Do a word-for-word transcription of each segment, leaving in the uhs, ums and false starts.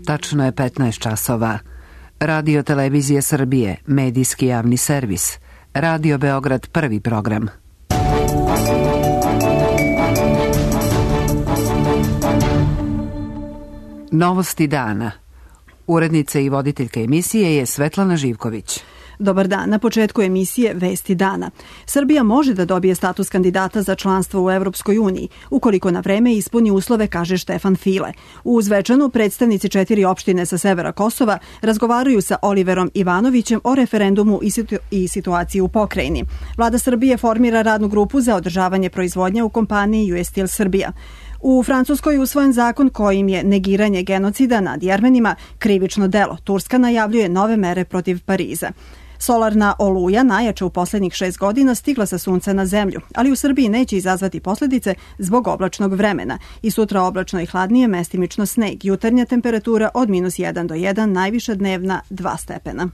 Tačno je petnaest časova. Radio Televizije Srbije, medijski javni servis. Radio Beograd, prvi program. Novosti dana. Urednica i voditeljka emisije je Svetlana Živković. Dobar dan. Na početku emisije Vesti dana. Srbija može da dobije status kandidata za članstvo u Evropskoj uniji, ukoliko na vreme ispuni uslove, kaže Štefan File. U Zvečanu predstavnici četiri opštine sa severa Kosova razgovaraju sa Oliverom Ivanovićem o referendumu i, situ i situaciji u pokrajini. Vlada Srbije formira radnu grupu za održavanje proizvodnje u kompaniji U S Steel Srbija. U Francuskoj je usvojen zakon kojim je negiranje genocida nad Jermenima krivično delo. Turska najavljuje nove mere protiv Pariza. Solarna oluja, najjača u poslednjih šest godina, stigla sa sunca na zemlju, ali u Srbiji neće izazvati posljedice zbog oblačnog vremena. I sutra oblačno i hladnije, mestimično sneg. Jutarnja temperatura od minus jedan do jedan, najviša dnevna dva stepena.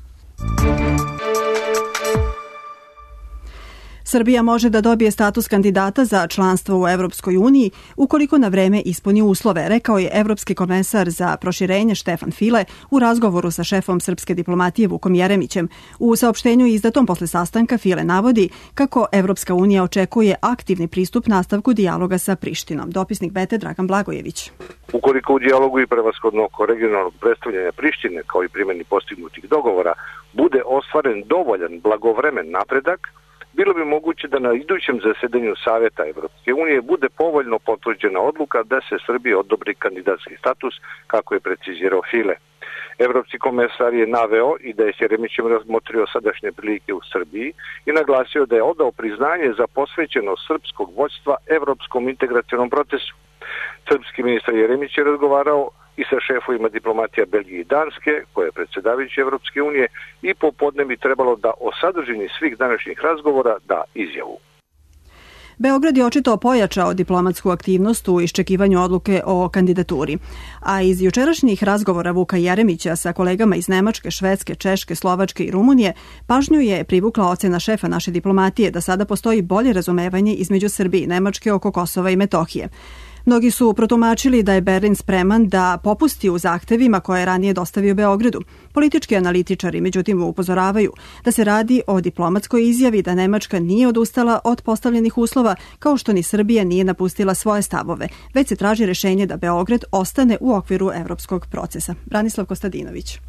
Srbija može da dobije status kandidata za članstvo u Evropskoj uniji ukoliko na vreme ispuni uslove, rekao je evropski komesar za proširenje Štefan File u razgovoru sa šefom srpske diplomatije Vukom Jeremićem. U saopštenju izdatom posle sastanka File navodi kako Evropska unija očekuje aktivni pristup nastavku dijaloga sa Prištinom. Dopisnik Bete Dragan Blagojević. Ukoliko u dijalogu i prevashodno oko regionalnog predstavljanja Prištine kao i primjeni postignutih dogovora bude ostvaren dovoljan blagovremen napredak, bilo bi moguće da na idućem zasedanju Saveta Evropske unije bude povoljno potvrđena odluka da se Srbiji odobri kandidatski status, kako je precizirao File. Evropski komesar je naveo i da je s Jeremićem razmotrio sadašnje prilike u Srbiji i naglasio da je odao priznanje za posvećenost srpskog vođstva evropskom integracionom procesu. Srpski ministar Jeremić je razgovarao i sa šefovima diplomatija Belgije i Danske, koje je predsjedavajući Evropske unije, i popodne bi trebalo da o sadržini svih današnjih razgovora da izjavu. Beograd je očito pojačao diplomatsku aktivnost u iščekivanju odluke o kandidaturi. A iz jučerašnjih razgovora Vuka Jeremića sa kolegama iz Nemačke, Švedske, Češke, Slovačke i Rumunije, pažnju je privukla ocena šefa naše diplomatije da sada postoji bolje razumevanje između Srbije i Nemačke oko Kosova i Metohije. Mnogi su protumačili da je Berlin spreman da popusti u zahtevima koje je ranije dostavio Beogradu. Politički analitičari međutim upozoravaju da se radi o diplomatskoj izjavi da Nemačka nije odustala od postavljenih uslova, kao što ni Srbija nije napustila svoje stavove, već se traži rešenje da Beograd ostane u okviru evropskog procesa. Branislav Kostadinović.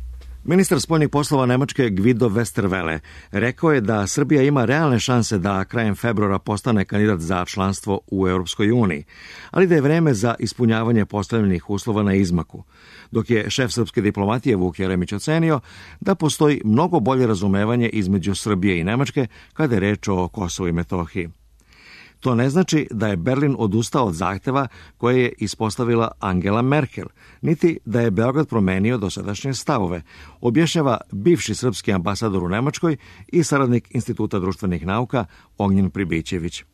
Ministar spoljnih poslova Nemačke Guido Westerwelle rekao je da Srbija ima realne šanse da krajem februara postane kandidat za članstvo u Europskoj uniji, ali da je vreme za ispunjavanje postavljenih uslova na izmaku, dok je šef srpske diplomatije Vuk Jeremić ocenio da postoji mnogo bolje razumevanje između Srbije i Nemačke kada je reč o Kosovu i Metohiji. To ne znači da je Berlin odustao od zahteva koje je ispostavila Angela Merkel, niti da je Beograd promenio dosadašnje stavove, objašnjava bivši srpski ambasador u Nemačkoj i saradnik Instituta društvenih nauka Ognjen Pribićević.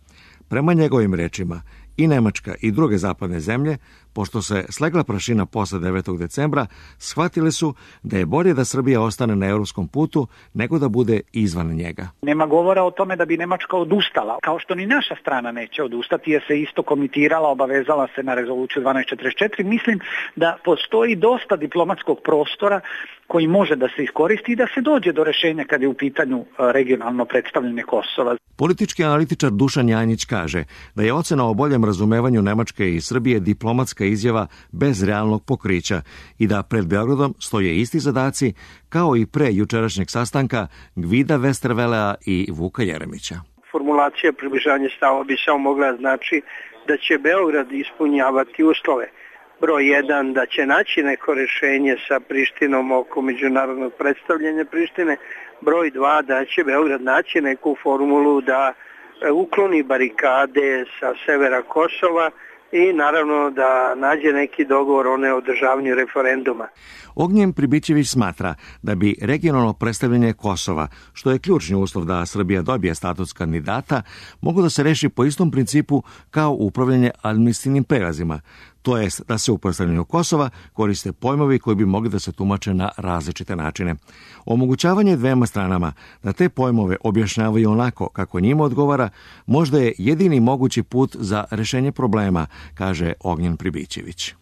Prema njegovim rečima, i Nemačka i druge zapadne zemlje, pošto se slegla prašina posle devetog decembra, shvatile su da je bolje da Srbija ostane na europskom putu nego da bude izvan njega. Nema govora o tome da bi Nemačka odustala, kao što ni naša strana neće odustati, jer se isto komitirala, obavezala se na rezoluciju dvanaest četrdeset četiri. Mislim da postoji dosta diplomatskog prostora koji može da se iskoristi i da se dođe do rešenja kad je u pitanju regionalno predstavljanje Kosova. Politički analitičar Dušan Janjić kaže da je ocena o boljem razumevanju Nemačke i Srbije diplomatska izjava bez realnog pokrića i da pred Beogradom stoje isti zadaci kao i pre jučerašnjeg sastanka Guida Westerwellea i Vuka Jeremića. Formulacija približavanja stava bi samo mogla znači da će Beograd ispunjavati uslove. Broj jedan, da će naći neko rešenje sa Prištinom oko međunarodnog predstavljanja Prištine. Broj dva, da će Beograd naći neku formulu da ukloni barikade sa severa Kosova i naravno da nađe neki dogovor o neodržavanju referenduma. Ognjen Pribićević smatra da bi regionalno predstavljanje Kosova, što je ključni uslov da Srbija dobije status kandidata, moglo da se reši po istom principu kao upravljanje administrativnim prelazima, to jest da se u predstavljanju Kosova koriste pojmovi koji bi mogli da se tumače na različite načine. Omogućavanje dvema stranama da te pojmove objašnjavaju onako kako njima odgovara, možda je jedini mogući put za rešenje problema, kaže Ognjen Pribićević.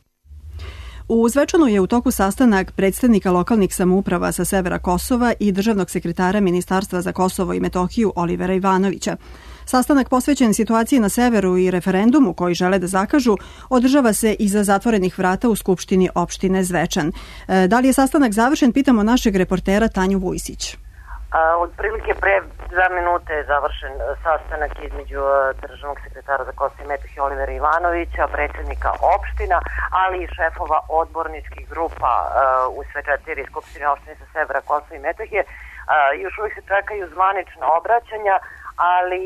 U Zvečanu je u toku sastanak predstavnika lokalnih samouprava sa severa Kosova i državnog sekretara Ministarstva za Kosovo i Metohiju Olivera Ivanovića. Sastanak posvećen situaciji na severu i referendumu koji žele da zakažu održava se iza zatvorenih vrata u Skupštini opštine Zvečan. Da li je sastanak završen, pitamo našeg reportera Tanju Vujsić. Otprilike pre dva minute je završen sastanak između državnog sekretara za Kosovo i Metohiju Olivera Ivanovića, predsjednika opština, ali i šefova odborničkih grupa u sve četiri skupštine opštine sa severa Kosova i Metohije. Još uvijek se čekaju zvanična obraćanja, ali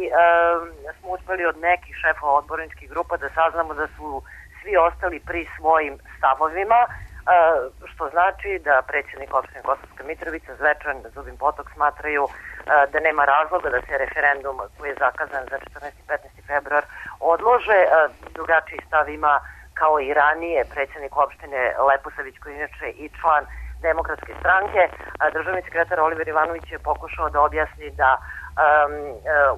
smo uspeli od nekih šefova odborničkih grupa da saznamo da su svi ostali pri svojim stavovima, što znači da predsjednik opštine Kosovska Mitrovica, Zvečan, Zubin Potok smatraju da nema razloga da se referendum koji je zakazan za četrnaesti i petnaesti februar odlože. Drugačiji stav ima kao i ranije predsjednik opštine Leposavić, koji je inače i član Demokratske stranke. Državni sekretar Oliver Ivanović je pokušao da objasni da Um,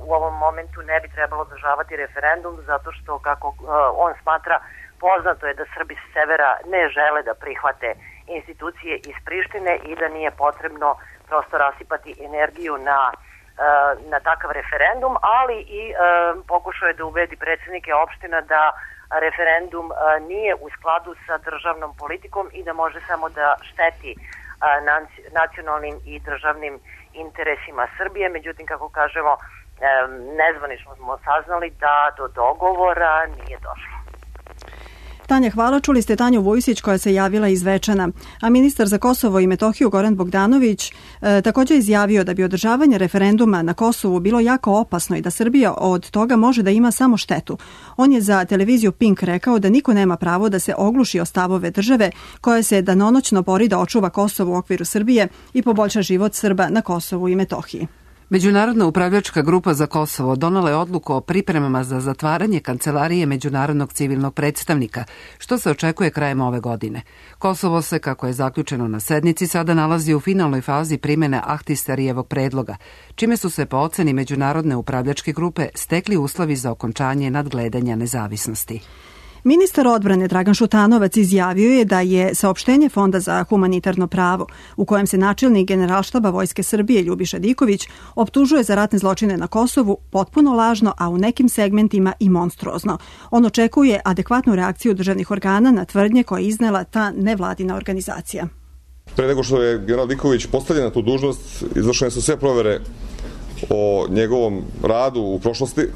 u ovom momentu ne bi trebalo održavati referendum zato što, kako uh, on smatra, poznato je da Srbi s severa ne žele da prihvate institucije iz Prištine i da nije potrebno prosto rasipati energiju na, uh, na takav referendum, ali i uh, pokušao je da ubedi predsjednike opština da referendum uh, nije u skladu sa državnom politikom i da može samo da šteti uh, nacionalnim i državnim interesima Srbije. Međutim, kako kažemo, nezvanično smo saznali da do dogovora nije došlo. Tanja, hvala. Čuli ste Tanju Vujsić koja se javila iz Zvečana. A ministar za Kosovo i Metohiju Goran Bogdanović e, također izjavio da bi održavanje referenduma na Kosovu bilo jako opasno i da Srbija od toga može da ima samo štetu. On je za televiziju Pink rekao da niko nema pravo da se ogluši o stavove države koja se danonoćno bori da očuva Kosovo u okviru Srbije i poboljša život Srba na Kosovu i Metohiji. Međunarodna upravljačka grupa za Kosovo donala je odluku o pripremama za zatvaranje kancelarije Međunarodnog civilnog predstavnika, što se očekuje krajem ove godine. Kosovo se, kako je zaključeno na sednici, sada nalazi u finalnoj fazi primjene Ahtisarijevog predloga, čime su se po oceni Međunarodne upravljačke grupe stekli uslovi za okončanje nadgledanja nezavisnosti. Ministar odbrane Dragan Šutanovac izjavio je da je saopštenje Fonda za humanitarno pravo, u kojem se načelnik Generalštaba Vojske Srbije Ljubiša Diković optužuje za ratne zločine na Kosovu, potpuno lažno, a u nekim segmentima i monstruozno. On očekuje adekvatnu reakciju državnih organa na tvrdnje koje je iznela ta nevladina organizacija. Pre nego što je general Diković postavljen na tu dužnost, izvršene su sve provere o njegovom radu u prošlosti,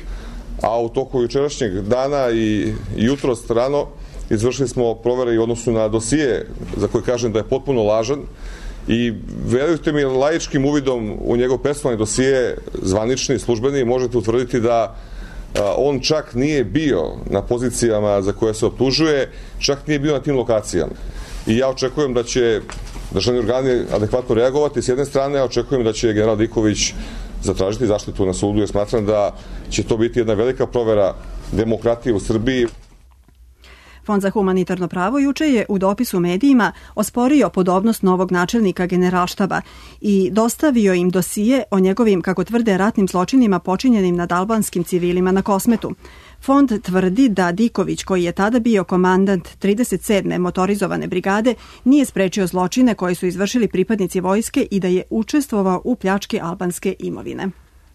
a u toku jučerašnjeg dana i jutros rano izvršili smo provere i u odnosu na dosije za koje kažem da je potpuno lažan i verujte mi, laičkim uvidom u njegov personalni dosije, zvanični, službeni, možete utvrditi da on čak nije bio na pozicijama za koje se optužuje, čak nije bio na tim lokacijama. I ja očekujem da će državni organi adekvatno reagovati s jedne strane, a očekujem da će general Diković zatražiti zaštitu na sudu, jer smatram da će to biti jedna velika provera demokratije u Srbiji. Fond za humanitarno pravo juče je u dopisu medijima osporio podobnost novog načelnika Generalštaba i dostavio im dosije o njegovim, kako tvrde, ratnim zločinima počinjenim nad albanskim civilima na Kosmetu. Fond tvrdi da Diković, koji je tada bio komandant trideset sedme motorizovane brigade, nije sprečio zločine koje su izvršili pripadnici vojske i da je učestvovao u pljački albanske imovine.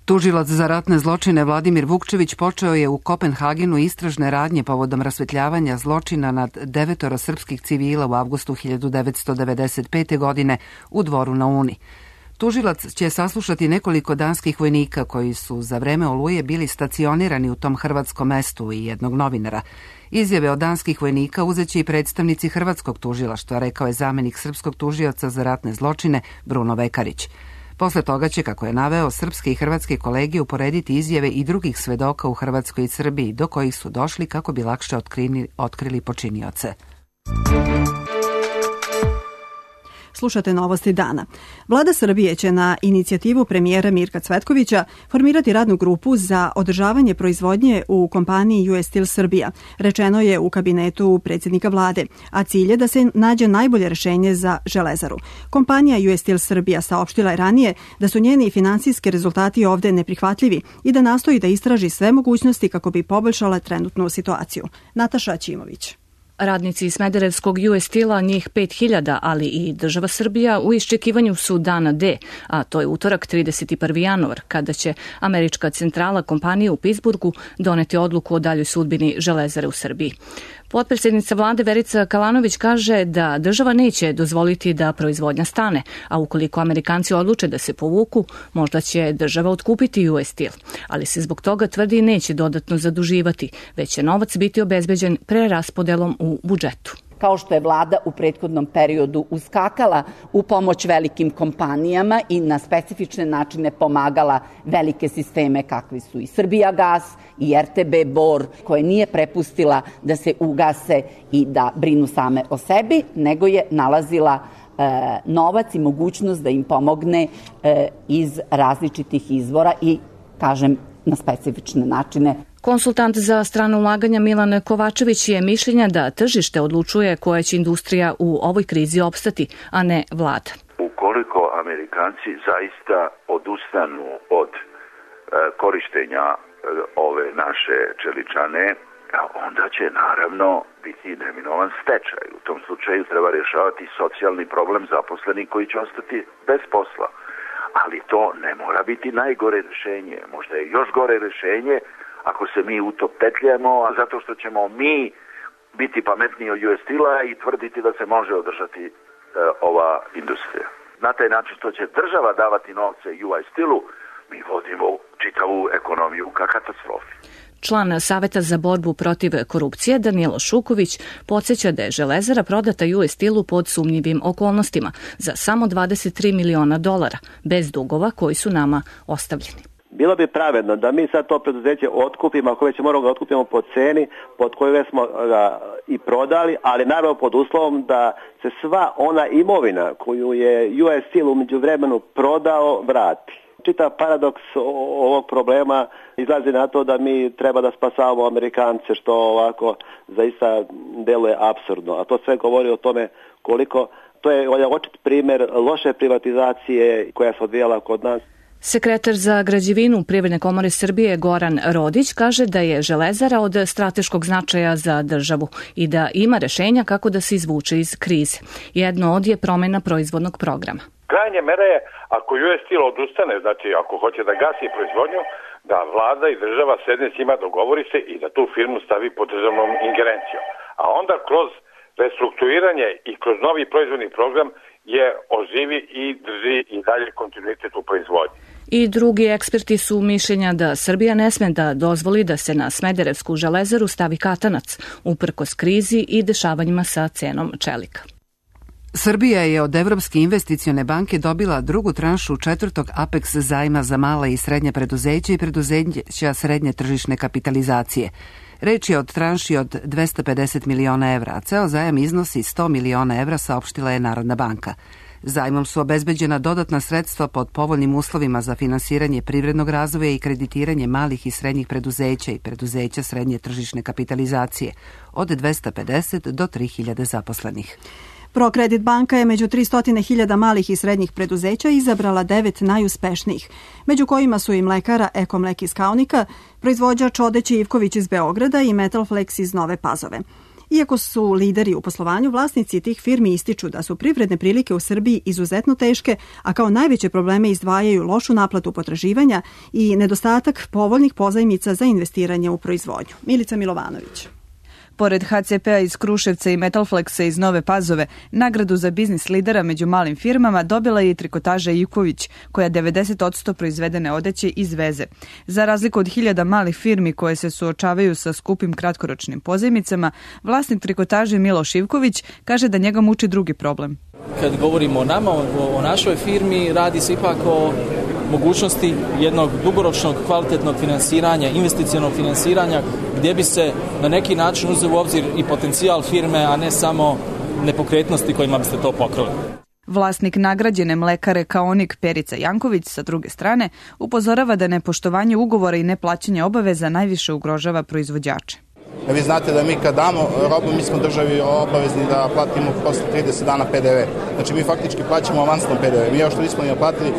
Tužilac za ratne zločine Vladimir Vukčević počeo je u Kopenhagenu istražne radnje povodom rasvetljavanja zločina nad devetoro srpskih civila u avgustu hiljadu devetsto devedeset pete. godine u Dvoru na Uni. Tužilac će saslušati nekoliko danskih vojnika koji su za vreme Oluje bili stacionirani u tom hrvatskom mestu i jednog novinara. Izjave od danskih vojnika uzeće i predstavnici hrvatskog tužilaštva, rekao je zamenik srpskog tužioca za ratne zločine Bruno Vekarić. Posle toga će, kako je naveo, srpske i hrvatske kolege uporediti izjave i drugih svedoka u Hrvatskoj i Srbiji, do kojih su došli kako bi lakše otkrili, otkrili počinioce. Slušate novosti dana. Vlada Srbije će na inicijativu premijera Mirka Cvetkovića formirati radnu grupu za održavanje proizvodnje u kompaniji U S Steel Srbija, rečeno je u kabinetu predsjednika vlade, a cilj je da se nađe najbolje rešenje za Železaru. Kompanija U S Steel Srbija saopštila je ranije da su njeni finansijski rezultati ovde neprihvatljivi i da nastoji da istraži sve mogućnosti kako bi poboljšala trenutnu situaciju. Nataša Ćimović. Radnici iz Smederevskog U S Steel-a, njih pet hiljada, ali i država Srbija u iščekivanju su dana D, a to je utorak trideset prvi januar, kada će američka centrala kompanije u Pittsburghu doneti odluku o daljoj sudbini Železare u Srbiji. Potpredsjednica vlade Verica Kalanović kaže da država neće dozvoliti da proizvodnja stane, a ukoliko Amerikanci odluče da se povuku, možda će država otkupiti U S Steel, ali se zbog toga tvrdi neće dodatno zaduživati, već će novac biti obezbeđen preraspodelom u budžetu. Kao što je vlada u prethodnom periodu uskakala u pomoć velikim kompanijama i na specifične načine pomagala velike sisteme kakvi su i Srbijagas i R T B Bor, koje nije prepustila da se ugase i da brinu same o sebi, nego je nalazila e, novac i mogućnost da im pomogne e, iz različitih izvora i, kažem, na specifične načine. Konsultant za strano ulaganja Milan Kovačević je mišljenja da tržište odlučuje koja će industrija u ovoj krizi opstati, a ne vlada. Ukoliko Amerikanci zaista odustanu od e, korištenja e, ove naše čeličane, onda će naravno biti neminovan stečaj. U tom slučaju treba rješavati socijalni problem zaposlenih koji će ostati bez posla. Ali to ne mora biti najgore rješenje. Možda je još gore rješenje ako se mi utopetljamo, a zato što ćemo mi biti pametniji od U S Steel-a i tvrditi da se može održati e, ova industrija. Na taj način što će država davati novce U S Steel-u, mi vodimo čitavu ekonomiju ka katastrofi. Član Saveta za borbu protiv korupcije Danilo Šuković podsjeća da je Železara prodata U S Steel-u pod sumnjivim okolnostima za samo dvadeset tri miliona dolara, bez dugova koji su nama ostavljeni. Bilo bi pravedno da mi sad to preduzeće otkupimo, ako već moramo ga otkupimo po ceni pod koju smo ga i prodali, ali naravno pod uslovom da se sva ona imovina koju je U S Steel u međuvremenu prodao vrati. Čitav paradoks ovog problema izlazi na to da mi treba da spasavamo Amerikance, što ovako zaista deluje apsurdno. A to sve govori o tome koliko, to je očit primjer loše privatizacije koja se odvijala kod nas. Sekretar za građevinu Privredne komore Srbije Goran Rodić kaže da je Železara od strateškog značaja za državu i da ima rešenja kako da se izvuče iz krize. Jedno od je promjena proizvodnog programa. Krajnje mere je, ako U S Steel odustane, znači ako hoće da gasi proizvodnju, da vlada i država sedne s njima, dogovori se i da tu firmu stavi pod državnom ingerencijom. A onda kroz restrukturiranje i kroz novi proizvodni program je oživi i drži i dalje kontinuitet u proizvodnji. I drugi eksperti su mišljenja da Srbija ne sme da dozvoli da se na Smederevsku železaru stavi katanac, uprkos krizi i dešavanjima sa cenom čelika. Srbija je od Evropske investicione banke dobila drugu tranšu četvrtog Apex zajma za mala i srednja preduzeća i preduzeća srednje tržišne kapitalizacije. Reč je od tranši od dvesta pedeset miliona evra, a ceo zajam iznosi sto miliona evra, saopštila je Narodna banka. Zajmom su obezbeđena dodatna sredstva pod povoljnim uslovima za finansiranje privrednog razvoja i kreditiranje malih i srednjih preduzeća i preduzeća srednje tržišne kapitalizacije od dvesta pedeset do tri hiljade zaposlenih. Prokredit banka je među tristo hiljada malih i srednjih preduzeća izabrala devet najuspešnijih, među kojima su i mlekara Ekomlek iz Kaunika, proizvođač odeće Ivković iz Beograda i Metalflex iz Nove Pazove. Iako su lideri u poslovanju, vlasnici tih firmi ističu da su privredne prilike u Srbiji izuzetno teške, a kao najveće probleme izdvajaju lošu naplatu potraživanja i nedostatak povoljnih pozajmica za investiranje u proizvodnju. Milica Milovanović. Pored H C P-a iz Kruševca i Metalflexa iz Nove Pazove, nagradu za biznis lidera među malim firmama dobila je i trikotaža Ivković, koja devedeset posto proizvedene odeće izveze. Za razliku od hiljada malih firmi koje se suočavaju sa skupim kratkoročnim pozajmicama, vlasnik trikotaže Miloš Ivković kaže da njega muči drugi problem. Kad govorimo o nama, o našoj firmi, radi se ipak o mogućnosti jednog dugoročnog kvalitetnog finansiranja, investicionog finansiranja, gdje bi se na neki način uzeo u obzir i potencijal firme, a ne samo nepokretnosti kojima biste to pokrili. Vlasnik nagrađene mlekare Kaonik Perica Janković sa druge strane upozorava da nepoštovanje ugovora i neplaćanje obaveza najviše ugrožava proizvođače. Vi znate da mi kad damo robu, mi smo državi obavezni da platimo posle trideset dana P D V. Znači mi faktički plaćamo avansno P D V. Mi još što nismo ni naplatili,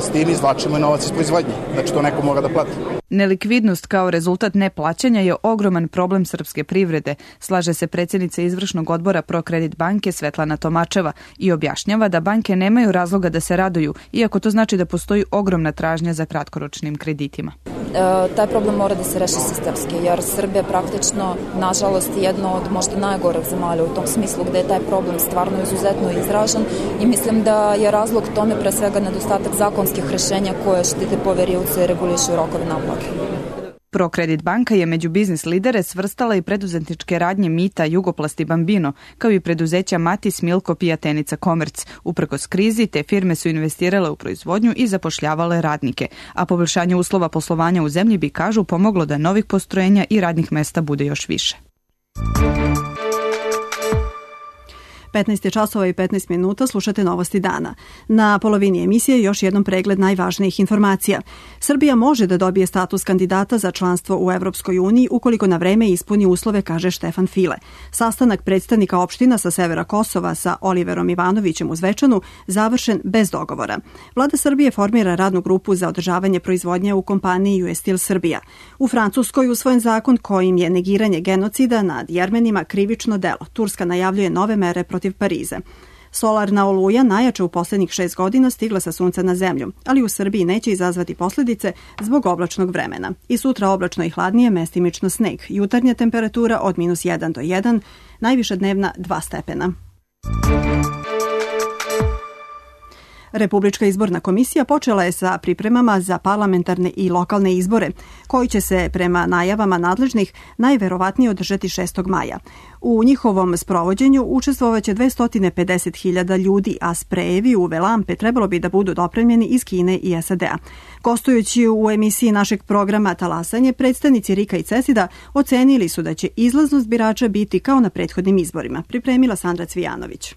s tim izvlačimo novac iz proizvodnje. Znači to neko mora da plati. Nelikvidnost kao rezultat neplaćanja je ogroman problem srpske privrede, slaže se predsjednica izvršnog odbora Prokredit banke Svetlana Tomačeva i objašnjava da banke nemaju razloga da se raduju, iako to znači da postoji ogromna tražnja za kratkoročnim kreditima. E, taj problem mora da se reši sistemski, jer Srbija praktično, nažalost, je jedno od možda najgorih zemalja u tom smislu gde je taj problem stvarno izuzetno izražen i mislim da je razlog tome pre svega nedostatak zakonskih rešenja koje štite poverioce i regulišu rokove naplate. Prokredit banka je među biznis lidere svrstala i preduzetničke radnje Mita, Jugoplasti Bambino, kao i preduzeća Matis, Milko, Pijatenica, Komerc. Uprkos krizi, te firme su investirale u proizvodnju i zapošljavale radnike, a poboljšanje uslova poslovanja u zemlji bi, kažu, pomoglo da novih postrojenja i radnih mesta bude još više. petnaest je časova i petnaest minuta, slušate Novosti dana. Na polovini emisije još jednom pregled najvažnijih informacija. Srbija može da dobije status kandidata za članstvo u Evropskoj uniji ukoliko na vreme ispuni uslove, kaže Štefan File. Sastanak predstavnika opština sa severa Kosova sa Oliverom Ivanovićem u Zvečanu završen bez dogovora. Vlada Srbije formira radnu grupu za održavanje proizvodnje u kompaniji U S Steel Srbija. U Francuskoj usvojen zakon kojim je negiranje genocida nad Jermenima krivično delo. Turska najavljuje nove mere protiv Pariza. Solarna oluja, najjača u poslednjih šest godina, stigla sa sunca na zemlju, ali u Srbiji neće izazvati posljedice zbog oblačnog vremena. I sutra oblačno i hladnije, mestimično sneg. Jutarnja temperatura od minus jedan do jedan, najviša dnevna dva stepena. Republička izborna komisija počela je sa pripremama za parlamentarne i lokalne izbore, koji će se prema najavama nadležnih najverovatnije održati šestog maja. U njihovom sprovođenju učestvovaće dvesta pedeset hiljada ljudi, a sprejevi u uve lampe trebalo bi da budu dopremljeni iz Kine i S A D-a. Gostujući u emisiji našeg programa Talasanje, predstavnici Rika i Cesida ocenili su da će izlaznost birača biti kao na prethodnim izborima. Pripremila Sandra Cvijanović.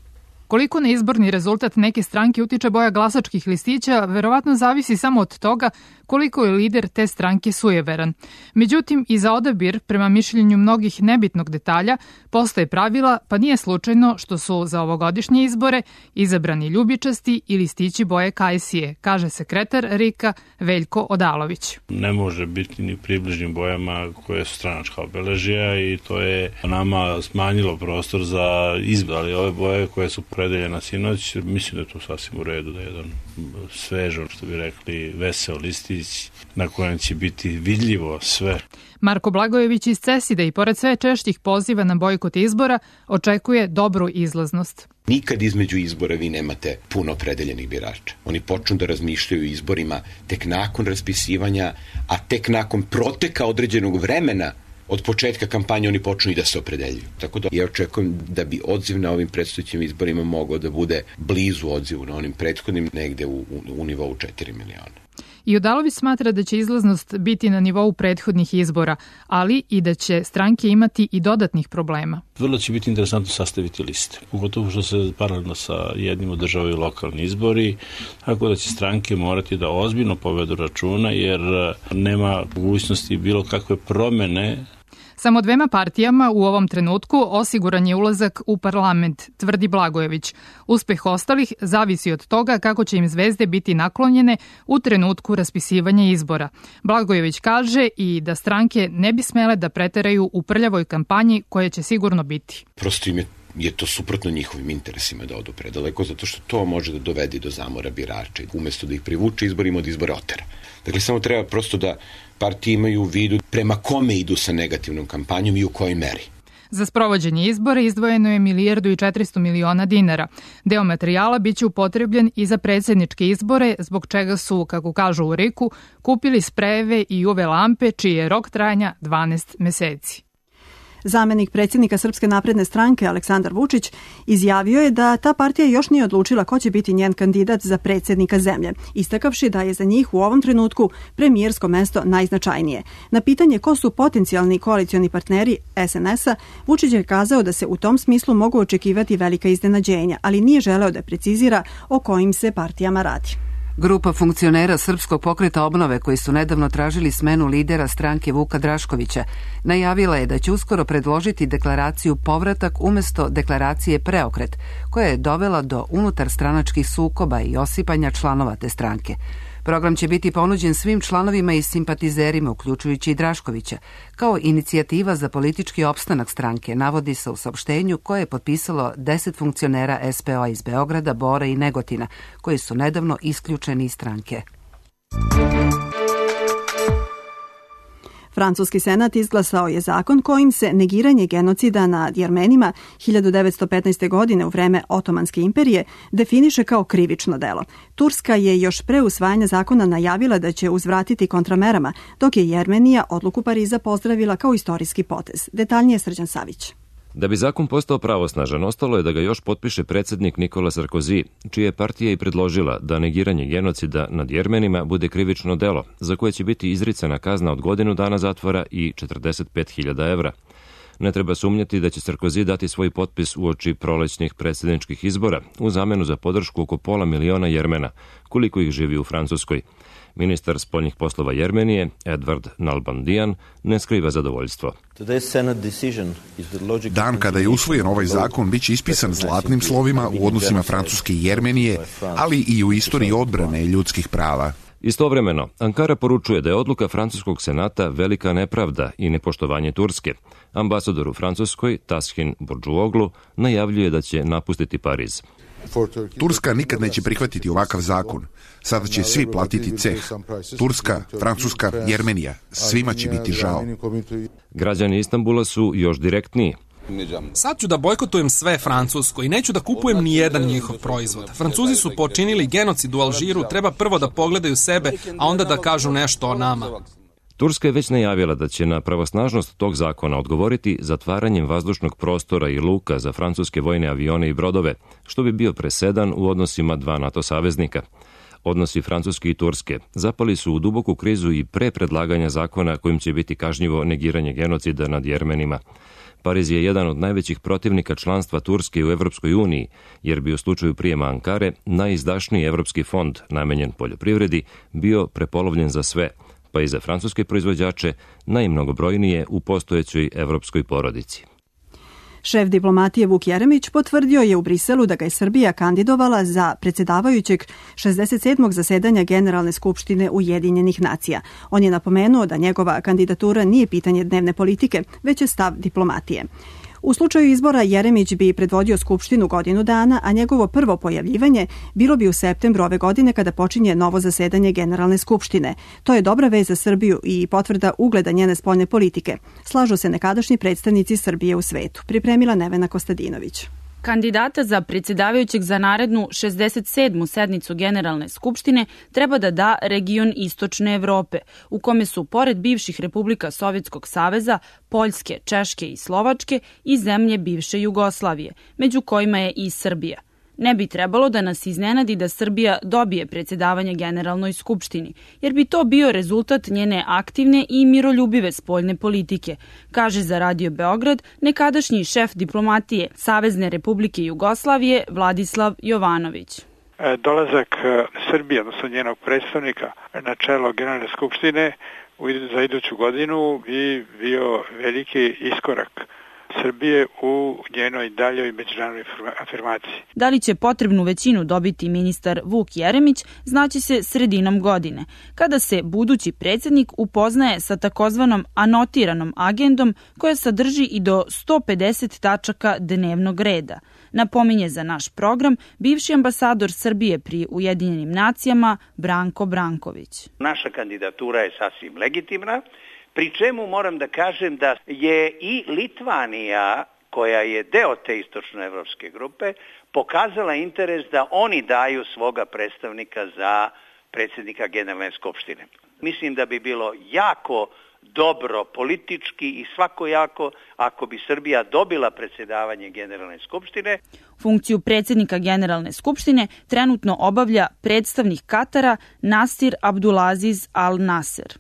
Koliko na izborni rezultat neke stranke utiče boja glasačkih listića, verovatno zavisi samo od toga koliko je lider te stranke sujeveran. Međutim, i za odabir, prema mišljenju mnogih nebitnog detalja, postoje pravila, pa nije slučajno što su za ovogodišnje izbore izabrani ljubičasti i listići boje kajsije, kaže sekretar Rika Veljko Odalović. Ne može biti ni približnim bojama koje su stranačka obeležija i to je nama smanjilo prostor za izbor, ali ove boje koje su predeljena sinoć, mislim da je to sasvim u redu, da je jedan svežo, što bi rekli, veseo listić na kojem će biti vidljivo sve. Marko Blagojević iz Ceside i pored sve češćih poziva na bojkot izbora očekuje dobru izlaznost. Nikad između izbora vi nemate puno predeljenih birača. Oni počnu da razmišljaju o izborima tek nakon raspisivanja, a tek nakon proteka određenog vremena od početka kampanje oni počnu i da se opredeljuju. Tako da ja očekujem da bi odziv na ovim predstojećim izborima mogao da bude blizu odzivu na onim prethodnim, negde u, u, u nivou četiri miliona. I Odalović smatra da će izlaznost biti na nivou prethodnih izbora, ali i da će stranke imati i dodatnih problema. Vrlo će biti interesantno sastaviti liste, pogotovo što se paralelno sa jednim održavaju lokalni izbori, tako da će stranke morati da ozbiljno povedu računa, jer nema mogućnosti bilo kakve promene. Samo dvema partijama u ovom trenutku osiguran je ulazak u parlament, tvrdi Blagojević. Uspeh ostalih zavisi od toga kako će im zvezde biti naklonjene u trenutku raspisivanja izbora. Blagojević kaže i da stranke ne bi smele da preteraju u prljavoj kampanji koja će sigurno biti. Prosto im je je to suprotno njihovim interesima da odu predaleko, zato što to može da dovedi do zamora birača. Umesto da ih privuče izborima, od izbora otera. Dakle, samo treba prosto da partije imaju u vidu prema kome idu sa negativnom kampanjom i u kojoj meri. Za sprovođenje izbora izdvojeno je milijardu i četiristo miliona dinara. Deo materijala biće upotrebljen i za predsjedničke izbore, zbog čega su, kako kažu u Riku, kupili sprejeve i uve lampe, čiji je rok trajanja dvanaest meseci. Zamenik predsjednika Srpske napredne stranke Aleksandar Vučić izjavio je da ta partija još nije odlučila ko će biti njen kandidat za predsjednika zemlje, istakavši da je za njih u ovom trenutku premijersko mesto najznačajnije. Na pitanje ko su potencijalni koalicioni partneri S N S-a, Vučić je kazao da se u tom smislu mogu očekivati velika iznenađenja, ali nije želeo da precizira o kojim se partijama radi. Grupa funkcionera Srpskog pokreta obnove koji su nedavno tražili smenu lidera stranke Vuka Draškovića najavila je da će uskoro predložiti deklaraciju povratak umjesto deklaracije preokret, koja je dovela do unutar stranačkih sukoba i osipanja članova te stranke. Program će biti ponuđen svim članovima i simpatizerima, uključujući i Draškovića, kao inicijativa za politički opstanak stranke, navodi se u saopštenju koje je potpisalo deset funkcionera S P O iz Beograda, Bora i Negotina, koji su nedavno isključeni iz stranke. Francuski senat izglasao je zakon kojim se negiranje genocida nad Jermenima hiljadu devetsto petnaeste. godine u vreme Otomanske imperije definiše kao krivično delo. Turska je još pre usvajanja zakona najavila da će uzvratiti kontramerama, dok je Jermenija odluku Pariza pozdravila kao istorijski potez. Detaljnije Srđan Savić. Da bi zakon postao pravosnažan, ostalo je da ga još potpiše predsjednik Nikola Sarkozy, čija je partija i predložila da negiranje genocida nad Jermenima bude krivično delo, za koje će biti izricana kazna od godinu dana zatvora i četrdeset pet hiljada evra. Ne treba sumnjati da će Sarkozy dati svoj potpis uoči prolećnih predsjedničkih izbora u zamenu za podršku oko pola miliona Jermena, koliko ih živi u Francuskoj. Ministar spoljnih poslova Jermenije, Edward Nalbandian, ne skriva zadovoljstvo. Dan kada je usvojen ovaj zakon biće ispisan zlatnim slovima u odnosima Francuske i Jermenije, ali i u istoriji odbrane ljudskih prava. Istovremeno, Ankara poručuje da je odluka Francuskog senata velika nepravda i nepoštovanje Turske. Ambasador u Francuskoj, Tashin Burđuoglu, najavljuje da će napustiti Pariz. Turska nikad neće prihvatiti ovakav zakon. Sada će svi platiti ceh. Turska, Francuska, Jermenija. Svima će biti žao. Građani Istanbula su još direktniji. Sad ću da bojkotujem sve francusko i neću da kupujem ni jedan njihov proizvod. Francuzi su počinili genocid u Alžiru, treba prvo da pogledaju sebe, a onda da kažu nešto o nama. Turska je već najavila da će na pravosnažnost tog zakona odgovoriti zatvaranjem vazdušnog prostora i luka za francuske vojne avione i brodove, što bi bio presedan u odnosima dva NATO saveznika. Odnosi Francuske i Turske zapali su u duboku krizu i pre predlaganja zakona kojim će biti kažnjivo negiranje genocida nad Jermenima. Pariz je jedan od najvećih protivnika članstva Turske u Evropskoj uniji, jer bi u slučaju prijema Ankare najizdašniji evropski fond namenjen poljoprivredi bio prepolovljen za sve, pa i za francuske proizvođače najmnogobrojnije u postojećoj evropskoj porodici. Šef diplomatije Vuk Jeremić potvrdio je u Briselu da ga je Srbija kandidovala za predsjedavajućeg šezdeset sedmog zasedanja Generalne skupštine Ujedinjenih nacija. On je napomenuo da njegova kandidatura nije pitanje dnevne politike, već je stav diplomatije. U slučaju izbora Jeremić bi predvodio Skupštinu godinu dana, a njegovo prvo pojavljivanje bilo bi u septembru ove godine kada počinje novo zasedanje Generalne skupštine. To je dobra vez za Srbiju i potvrda ugleda njene spoljne politike. Slažu se nekadašnji predstavnici Srbije u svetu. Pripremila Nevena Kostadinović. Kandidata za predsjedavajućeg za narednu šezdeset sedmu sednicu Generalne skupštine treba da da region Istočne Evrope, u kome su pored bivših republika Sovjetskog saveza, Poljske, Češke i Slovačke i zemlje bivše Jugoslavije, među kojima je i Srbija. Ne bi trebalo da nas iznenadi da Srbija dobije predsjedavanje Generalnoj skupštini, jer bi to bio rezultat njene aktivne i miroljubive spoljne politike, kaže za Radio Beograd nekadašnji šef diplomatije Savezne republike Jugoslavije Vladislav Jovanović. Dolazak Srbije, odnosno njenog predstavnika na čelo Generalne skupštine za iduću godinu bi bio veliki iskorak Srbije u njenoj daljoj međunarodnoj afirmaciji. Da li će potrebnu većinu dobiti ministar Vuk Jeremić, znaće se sredinom godine, kada se budući predsjednik upoznaje sa takozvanom anotiranom agendom koja sadrži i do sto pedeset tačaka dnevnog reda. Napominje za naš program bivši ambasador Srbije pri Ujedinjenim nacijama Branko Branković. Naša kandidatura je sasvim legitimna. Pri čemu moram da kažem da je i Litvanija, koja je deo te istočnoevropske grupe, pokazala interes da oni daju svoga predstavnika za predsjednika Generalne skupštine. Mislim da bi bilo jako dobro politički i svakojako ako bi Srbija dobila predsjedavanje Generalne skupštine. Funkciju predsjednika Generalne skupštine trenutno obavlja predstavnik Katara Nasir Abdulaziz Al Nasser.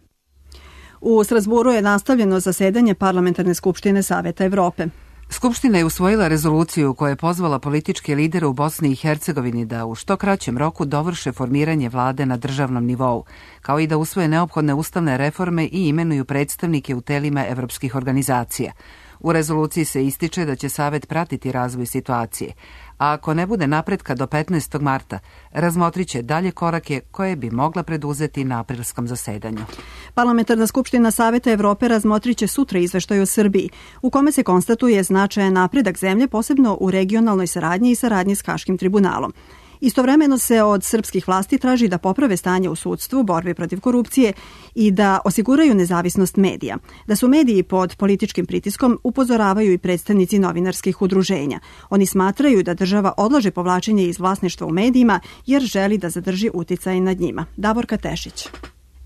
U Strasburu je nastavljeno zasedanje Parlamentarne skupštine Saveta Evrope. Skupština je usvojila rezoluciju koja je pozvala političke lidere u Bosni i Hercegovini da u što kraćem roku dovrše formiranje vlade na državnom nivou, kao i da usvoje neophodne ustavne reforme i imenuju predstavnike u telima evropskih organizacija. U rezoluciji se ističe da će Savet pratiti razvoj situacije, a ako ne bude napretka do petnaestog marta, razmotrit će dalje korake koje bi mogla preduzeti na aprilskom zasedanju. Parlamentarna skupština Saveta Evrope razmotrit će sutra izveštaj o Srbiji, u kome se konstatuje značajan napredak zemlje, posebno u regionalnoj saradnji i saradnji s Haškim tribunalom. Istovremeno se od srpskih vlasti traži da poprave stanje u sudstvu, borbi protiv korupcije i da osiguraju nezavisnost medija. Da su mediji pod političkim pritiskom upozoravaju i predstavnici novinarskih udruženja. Oni smatraju da država odlaže povlačenje iz vlasništva u medijima jer želi da zadrži uticaj nad njima. Davorka Tešić.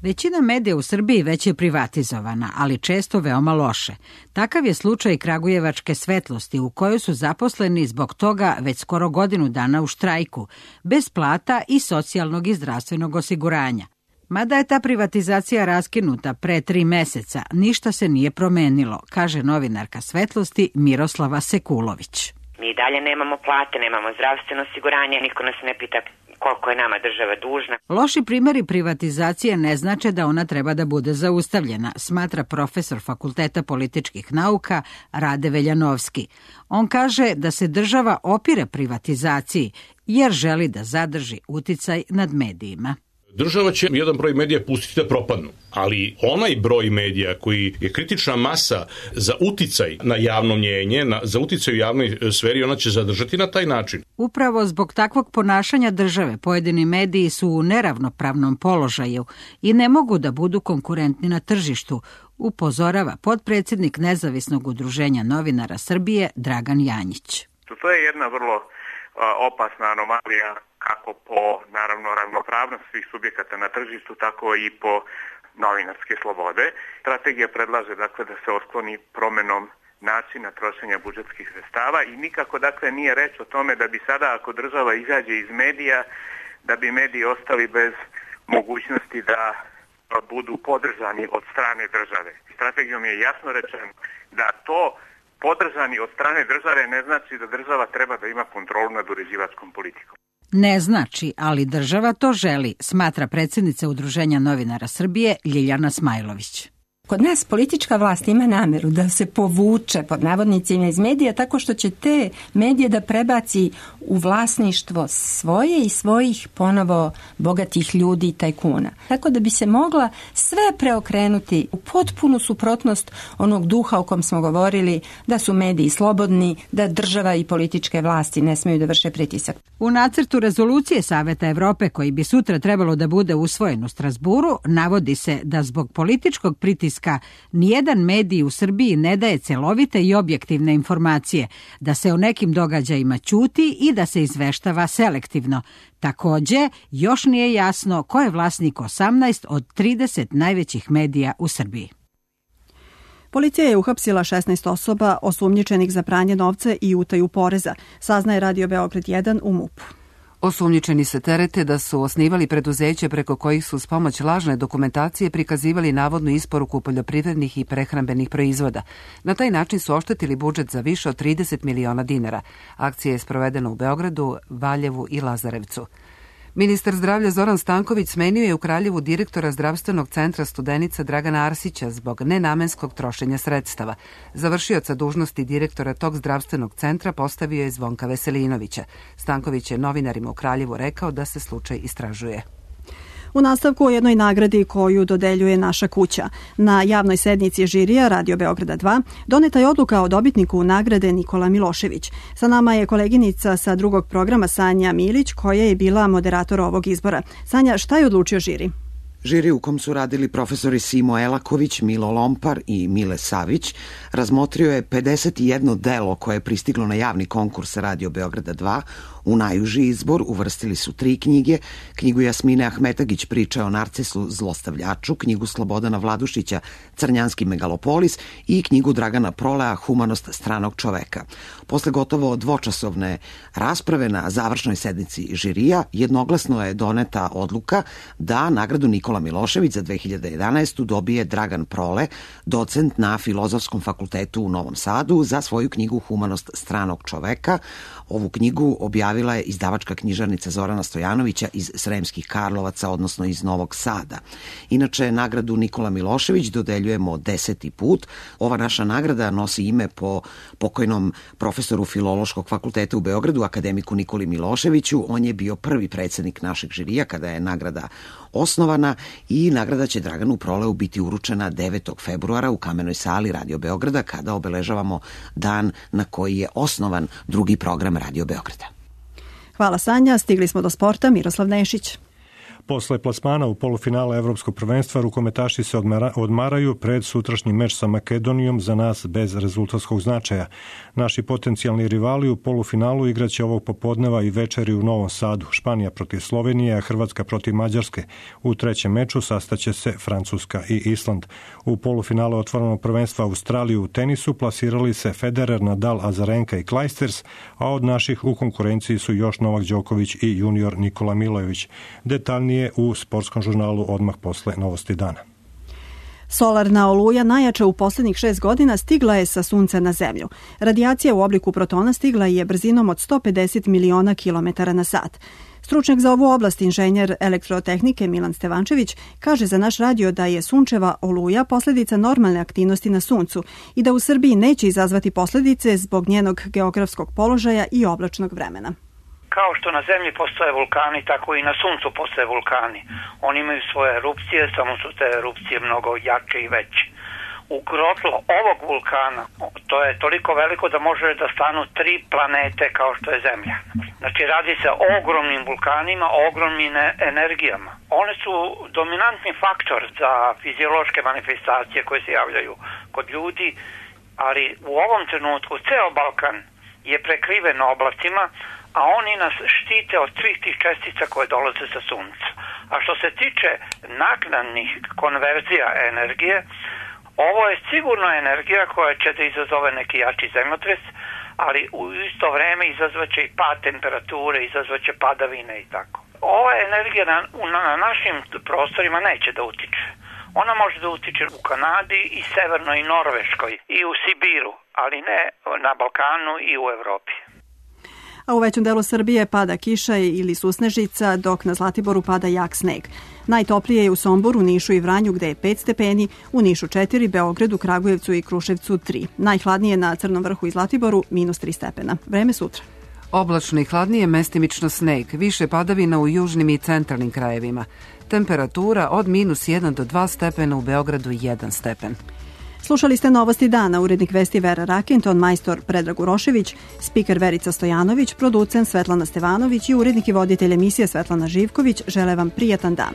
Većina medija u Srbiji već je privatizovana, ali često veoma loše. Takav je slučaj Kragujevačke Svetlosti, u kojoj su zaposleni zbog toga već skoro godinu dana u štrajku, bez plata i socijalnog i zdravstvenog osiguranja. Mada je ta privatizacija raskinuta pre tri meseca, ništa se nije promenilo, kaže novinarka Svetlosti Miroslava Sekulović. Mi dalje nemamo plate, nemamo zdravstveno osiguranje, niko nas ne pita koliko je nama država dužna. Loši primjeri privatizacije ne znače da ona treba da bude zaustavljena, smatra profesor Fakulteta političkih nauka Rade Veljanovski. On kaže da se država opire privatizaciji jer želi da zadrži uticaj nad medijima. Država će jedan broj medija pustiti da propadnu, ali onaj broj medija koji je kritična masa za uticaj na javno mnjenje, na, za uticaj u javnoj sferi, ona će zadržati na taj način. Upravo zbog takvog ponašanja države pojedini mediji su u neravnopravnom položaju i ne mogu da budu konkurentni na tržištu, upozorava potpredsjednik Nezavisnog udruženja novinara Srbije Dragan Janjić. To je jedna vrlo opasna anomalija kako po, naravno, ravnopravnost svih subjekata na tržištu, tako i po novinarske slobode. Strategija predlaže, dakle, da se otkloni promenom načina trošenja budžetskih sredstava i nikako, dakle, nije reč o tome da bi sada, ako država izađe iz medija, da bi mediji ostali bez mogućnosti da budu podržani od strane države. Strategijom je jasno rečeno da to podržani od strane države ne znači da država treba da ima kontrolu nad uređivačkom politikom. Ne znači, ali država to želi, smatra predsjednica Udruženja novinara Srbije Ljiljana Smajlović. Kod nas politička vlast ima nameru da se povuče pod navodnicima iz medija tako što će te medije da prebaci u vlasništvo svoje i svojih ponovo bogatih ljudi i tajkuna. Tako da bi se mogla sve preokrenuti u potpunu suprotnost onog duha o kom smo govorili, da su mediji slobodni, da država i političke vlasti ne smeju da vrše pritisak. U nacrtu rezolucije Saveta Evrope, koji bi sutra trebalo da bude usvojen u Strasburu, navodi se da zbog političkog pritiska nijedan medij u Srbiji ne daje celovite i objektivne informacije, da se o nekim događajima ćuti i da se izveštava selektivno. Takođe, još nije jasno ko je vlasnik osamnaest od trideset najvećih medija u Srbiji. Policija je uhapsila šesnaest osoba osumnjičenih za pranje novca i utaju poreza, saznaje Radio Beograd jedan u MUP-u. Osumnjičeni se terete da su osnivali preduzeće preko kojih su s pomoć lažne dokumentacije prikazivali navodnu isporuku poljoprivrednih i prehrambenih proizvoda. Na taj način su oštetili budžet za više od trideset miliona dinara. Akcija je sprovedena u Beogradu, Valjevu i Lazarevcu. Ministar zdravlja Zoran Stanković smenio je u Kraljevu direktora zdravstvenog centra Studenica Dragana Arsića zbog nenamenskog trošenja sredstava. Završioca dužnosti direktora tog zdravstvenog centra postavio je Zvonka Veselinovića. Stanković je novinarima u Kraljevu rekao da se slučaj istražuje. U nastavku o jednoj nagradi koju dodeljuje Naša kuća. Na javnoj sednici žirija Radio Beograda dva doneta je odluka o dobitniku nagrade Nikola Milošević. Sa nama je koleginica sa drugog programa Sanja Milić, koja je bila moderator ovog izbora. Sanja, šta je odlučio žiri? Žiri u kom su radili profesori Simo Elaković, Milo Lompar i Mile Savić razmotrio je pedeset jedno delo koje je pristiglo na javni konkurs Radio Beograda dva. U najuži izbor uvrstili su tri knjige, knjigu Jasmine Ahmetagić Priča o Narcisu zlostavljaču, knjigu Slobodana Vladušića Crnjanski megalopolis i knjigu Dragana Prolea Humanost stranog čoveka. Posle gotovo dvočasovne rasprave na završnoj sednici žirija jednoglasno je doneta odluka da nagradu Nikola Nikola Milošević za dve hiljade jedanaestu dobije Dragan Prole, docent na Filozofskom fakultetu u Novom Sadu, za svoju knjigu Humanost stranog čoveka. Ovu knjigu objavila je izdavačka knjižarnica Zorana Stojanovića iz Sremskih Karlovaca, odnosno iz Novog Sada. Inače, nagradu Nikola Milošević dodeljujemo deseti put. Ova naša nagrada nosi ime po pokojnom profesoru Filološkog fakulteta u Beogradu, akademiku Nikoli Miloševiću. On je bio prvi predsednik našeg žirija kada je nagrada osnovana i nagrada će Draganu Proleu biti uručena devetog februara u Kamenoj sali Radio Beograda kada obeležavamo dan na koji je osnovan drugi program Radio Beograda. Hvala Sanja, stigli smo do sporta. Miroslav Nešić. Posle plasmana u polufinale Evropskog prvenstva rukometaši se odmara, odmaraju pred sutrašnji meč sa Makedonijom, za nas bez rezultatskog značaja. Naši potencijalni rivali u polufinalu igraće ovog popodneva i večeri u Novom Sadu. Španija protiv Slovenije, a Hrvatska protiv Mađarske. U trećem meču sastaće se Francuska i Island. U polufinalu otvorenog prvenstva Australije u tenisu plasirali se Federer, Nadal, Azarenka i Clijsters, a od naših u konkurenciji su još Novak Đoković i junior Nikola Milojević. Detaljnije u sportskom žurnalu odmah posle novosti dana. Solarna oluja, najjača u posljednjih šest godina, stigla je sa sunca na zemlju. Radijacija u obliku protona stigla je brzinom od sto pedeset miliona kilometara na sat. Stručnjak za ovu oblast, inženjer elektrotehnike Milan Stevančević, kaže za naš radio da je sunčeva oluja posljedica normalne aktivnosti na suncu i da u Srbiji neće izazvati posljedice zbog njenog geografskog položaja i oblačnog vremena. Kao što na zemlji postoje vulkani, tako i na suncu postoje vulkani. Oni imaju svoje erupcije, samo su te erupcije mnogo jače i veće. U grotlo ovog vulkana, to je toliko veliko da može da stanu tri planete kao što je Zemlja. Znači radi se o ogromnim vulkanima, o ogromnim energijama. One su dominantni faktor za fiziološke manifestacije koje se javljaju kod ljudi, ali u ovom trenutku ceo Balkan je prekriven oblacima, a oni nas štite od svih tih čestica koje dolaze sa sunca. A što se tiče naknadnih konverzija energije, ovo je sigurno energija koja će da izazove neki jači zemljotres, ali u isto vreme izazvaće i pad temperature, izazvaće padavine i tako. Ova energija na, na našim prostorima neće da utiče. Ona može da utiče u Kanadi i Severnoj i Norveškoj i u Sibiru, ali ne na Balkanu i u Evropi. A u većem delu Srbije pada kiša ili susnežica, dok na Zlatiboru pada jak sneg. Najtoplije je u Somboru, Nišu i Vranju gde je pet stepeni, u Nišu četiri, Beogradu, Kragujevcu i Kruševcu tri. Najhladnije na Crnom vrhu i Zlatiboru minus tri stepena. Vreme sutra. Oblačno i hladnije, mestimično sneg, više padavina u južnim i centralnim krajevima. Temperatura od minus jedan do dva stepena, u Beogradu jedan stepen. Slušali ste Novosti dana, urednik vesti Vera Rakinton, majstor Predrag Urošević, spiker Verica Stojanović, producent Svetlana Stevanović i urednik i voditelj emisije Svetlana Živković. Žele vam prijatan dan.